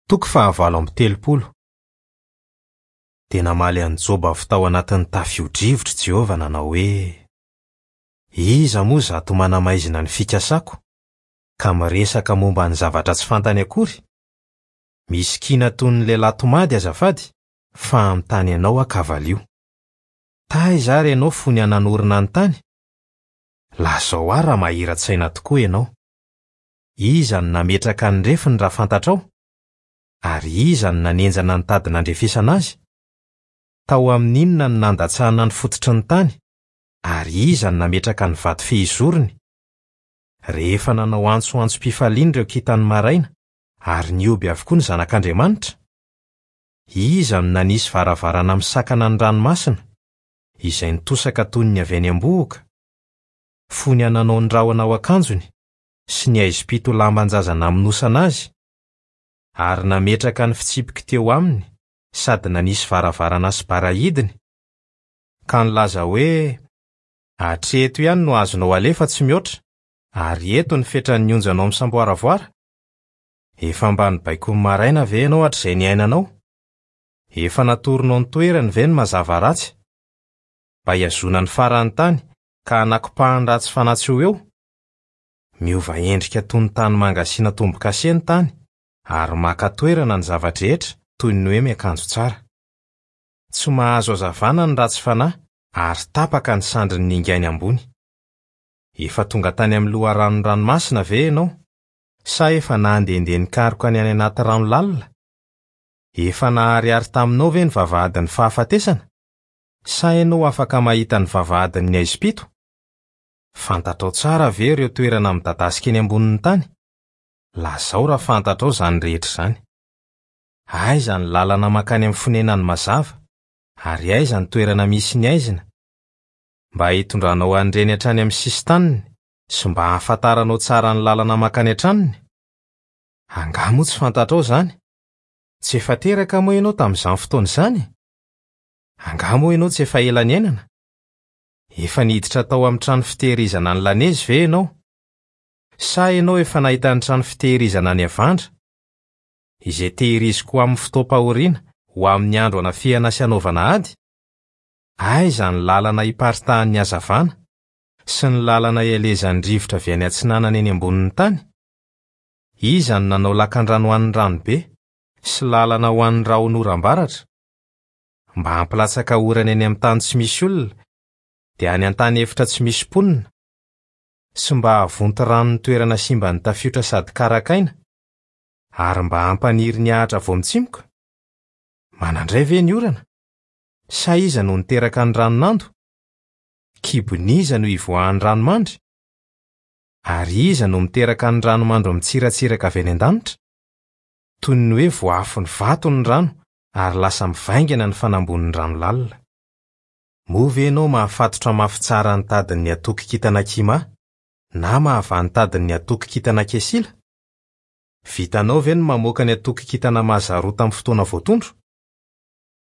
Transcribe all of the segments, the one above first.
Toko fahavalo amby 30. Dia namaly an'i Joba avy tao anatin'ny tafio-drivotra i Jehovah nanao hoe, Iza moa izato manamaizina ny fikasako, ka miresaka momba ny zavatra tsy fantany akory? Misy kiana toy ny lehilahy tomady azafady, fa hanontany anao aho ka valio. Taiza ary ianao fony aho nanorina ny tany? Lazao ahy raha mahira-tsaina tokoa ianao. Iza no nametraka ny refiny raha fantatrao? Ary iza no nanenjana ny tady nandrefesana azy? Tao amin'ny inona no nandatsahana ny fototry ny tany? Ary iza no nametraka ny vato fehizorony? Rehefa nanao antsoantsom-pifaliana ireo kintan'ny maraina, ary nihoby avokoa ny zanak'Andriamanitra? Iza no nanisy varavarana misakana ny ranomasina, izay nitosaka toy ny avy any am-bohoka? Fony aho nanao ny rahona ho akanjony, sy ny haizim-pito ho lamban-jaza namonosana azy, ary nametraka ny fitsipiky teo aminy sady nanisy varavarana sy barahidiny, ka nilaza hoe, Hatreto ihany no azonao alefa tsy mihoatra, ary eto ny fetran'ny onjanao misamboaravoara? Efa mba nibaikoin'ny maraina ve ianao hatrizay niainanao? Efa natoronao ny toerany ve ny mazava ratsy? Mba hihazona ny faran'ny tany ka hanakopahany ratsy fanahy tsy ho eo? Miova endrika toy ny tanimanga asiana tombo-kase ny tany, ary maka toerana ny zava-drehetra toy ny hoe miakanjo tsara. Tsy mahazo hazavana ny ratsy fanahy ary tapaka ny sandriny ningainy ambony. Efa tonga tany amin'ny loharanon'ny ranomasina ve ianao? Sa efa nandehandeha nikaroka ny any anaty rano lalina? Efa naharihary taminao ve ny vavahadin'ny fahafatesana? Sa ianao afaka mahita ny vavahadin'ny haizim-pito? Fantatrao tsara ve ireo toerana midadasika eny ambonin'ny tany? Lazao raha fantatrao izany rehetra izany. Aiza ny lalana mankany amin'ny fonenan'ny mazava, ary aiza ny toerana misy ny haizina? Mba hitondranao an'ireny hatrany amin'ny sisin-taniny sy mba hahafantaranao tsara ny lalana mankany an-tranony? Angaha moa tsy fantatrao izany? Tsy efa teraka moa ianao tamin'izany fotoana izany? Angaha moa ianao tsy efa ela niainana? Efa niditra tao amin'ny trano fitehirizana ny lanezy ve ianao? Sa ianao efa nahita ny trano fitehirizana ny havandra, izay tehiriziko ho amin'ny fotoam-pahoriana, ho amin'ny andro anafihana sy anaovana ady? Aiza ny lalana iparitahan'ny hazavana, sy ny lalana ielezan'ny rivotra avy any atsinanana eny ambonin'ny tany? Iza no nanao lakandrano ho an'ny ranobe, sy lalana ho an'ny rahon'oram-baratra? Mba hampilatsaka orana eny amin'ny tany tsy misy olona, dia any an-tany efitra tsy misy mponina, sy mba hahavonto rano ny toerana simban'ny tafiotra sady karakaina, ary mba hampaniry ny ahitra vao mitsimoka? Manandray ve ny orana? Sa iza no niteraka ny ranonando? Kibon'iza no ivoahan'ny ranomandry? Ary iza no miteraka ny ranomandry mitsiratsiraka avy any an-danitra? Toy ny hoe voaafon'ny vato ny rano ary lasa mivaingana ny fanambonin'ny rano lalina. Moa ve ianao mahafatotra mafy tsara ny tadin'ny atokon-kintana Kima, na mahavaha ny tadin'ny atokon-kintana Kesila? Vitanao ve ny mamoaka ny atokon-kintana Mazarota amin'ny fotoana voatondro?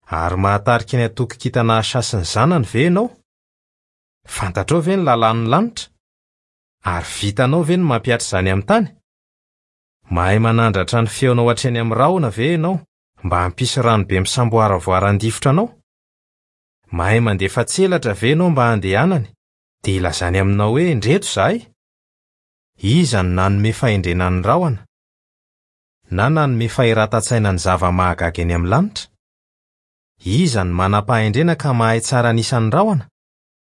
Ary mahatarika ny atokon-kintana Asha sy ny zanany ve ianao? Fantatrao ve ny lalàn'ny lanitra? Ary vitanao ve ny mampihatra izany amin'ny tany? Mahay manandratra ny feonao hatreny amin'ny rahona ve ianao mba hampisy rano be misamboaravoara handifotra anao? Mahay mandefa tselatra ve ianao mba handehanany, dia hilazany aminao hoe, 'Ndreto izahay'? Iza no nanome fahendrena ny rahona, na nanome fahiratan-tsaina ny zava-mahagaga eny amin'ny lanitra? Iza no manam-pahendrena ka mahay tsara ny isan'ny rahona?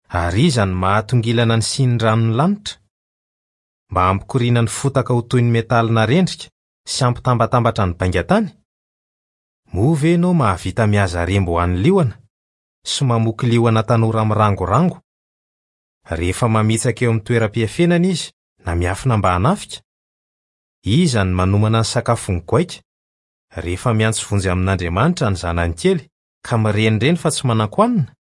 Ary iza no mahatongilana ny sinin'ny ranon'ny lanitra? Mba hampikoriana ny fotaka ho toy ny metaly narendrika sy hampitambatambatra ny baingan-tany? Moa ve ianao mahavita mihaza remby ho an'ny liona, sy mamoky liona tanora mirangorango, rehefa mamitsaka eo amin'ny toeram-piafenana izy na miafina mba hanafika? Iza no manomana ny sakafon'ny goaika, rehefa miantso vonjy amin'Andriamanitra ny zanany kely ka mirenireny fa tsy manan-kohanina?